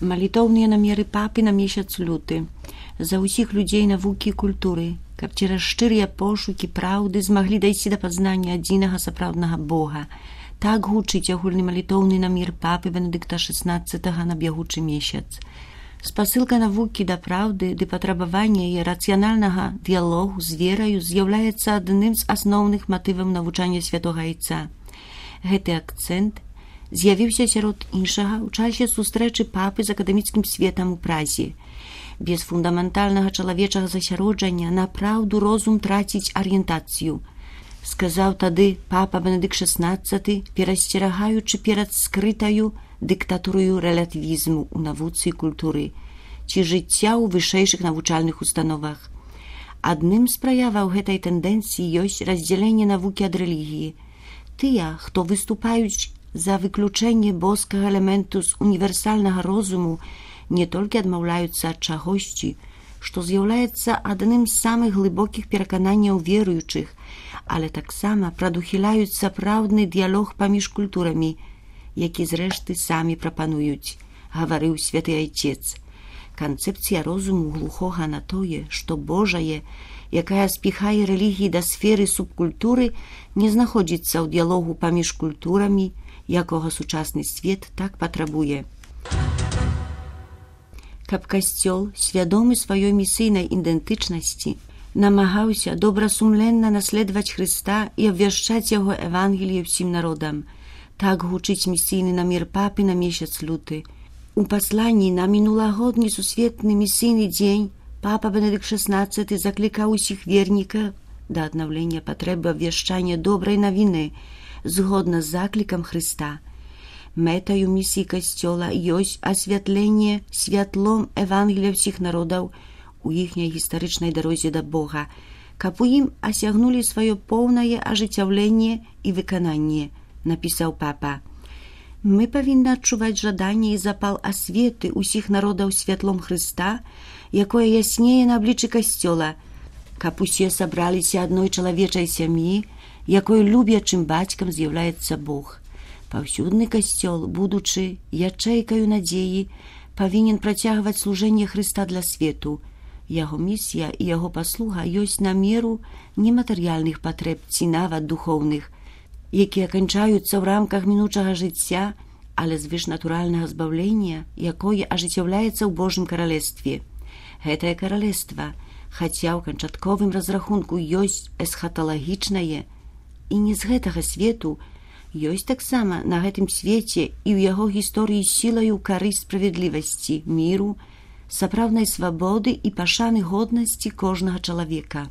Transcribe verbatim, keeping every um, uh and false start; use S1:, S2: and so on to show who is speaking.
S1: Малітоўныя намеры папы на месяц люты. За ўсіх людзей навукі і культуры, каб цераз шчырыя пошукі праўды змаглі дайсці да пазнання адзінага сапраўднага Бога. Так гучыць агульны малітоўны намер папы Бенедыкта шаснаццатага на бягучы месяц. Спасылка навукі да праўды ды патрабавання яе рацыянальнага дыялогу з вераю з'яўляецца адным з асноўных матываў навучання святога Айца. Гэты акцэнт з'явіўся сярод іншага ў часе сустрэчы папы з акадэміцкім светам у Празе. Без фундаментальнага чалавечага засяроджання на праўду розум траціць арыентацыю. Сказаў тады папа Бенедыкт шаснаццаты, перасцерагаючы перад скрытаю дыктатурою рэлятывізму ў навуцы і культуры ці жыцця ў вышэйшых навучальных установах. Адным з праяваў гэтай тэндэнцыі ёсць раздзяленне навукі ад рэлігіі. Тыя, хто выступаюць за выключэнне боскага элементу з універсальнага розуму, не толькі адмаўляюцца ад чагосьці, што з'яўляецца адным з самых глыбокіх перакананняў веруючых, але таксама прадухіляюць сапраўдны дыялог паміж культурамі, які зрэшты самі прапануюць, гаварыў святы Айцец. Канцэпцыя розуму глухога на тое, што Божае, якая спіхае рэлігіі да сферы субкультуры, не знаходзіцца ў дыялогу паміж культурамі, якога сучасны свет так патрабуе. Каб касцёл, свядомы сваёй місійнай ідэнтычнасці, намагаўся добрасумленна наследаваць Хрыста і абвяшчаць яго Евангеліе ўсім народам. Так гучыць місійны намер папы на месяц люты. У пасланні на мінулагодні сусветны місійны дзень папа Бенедыкт шаснаццаты заклікаў усіх вернікаў да аднаўлення патрэбы абвяшчання добрай навіны згодна з заклікам Хрыста. Мэтаю місіі касцёла ёсць асвятленне святлом Евангелія ўсіх народаў у іхняй гістарычнай дарозе да Бога, каб у ім асягнулі сваё поўнае ажыццяўленне і выкананне, напісаў папа. Мы павінны адчуваць жаданне і запал асветы ўсіх народаў святлом Хрыста, якое яснее на абліччы касцёла, каб усе сабраліся адной чалавечай сям'і, якой любячым бацькам з'яўляецца Бог. Паўсюдны касцёл, будучы ячэйкаю надзеі, павінен працягваць служэнне Хрыста для свету. Яго місія і яго паслуга ёсць на меру нематэрыяльных патрэб ці нават духоўных, якія канчаюцца ў рамках мінучага жыцця, але звышнатуральнага збаўлення, якое ажыццяўляецца ў Божым каралевстве. Гэтае каралевства, хаця ў канчатковым разрахунку ёсць эсхаталагічнае, і не з гэтага свету, ёсць таксама на гэтым свеце і ў яго гісторыі сілаю карысць справядлівасці, міру, сапраўднай свабоды і пашаны годнасці кожнага чалавека.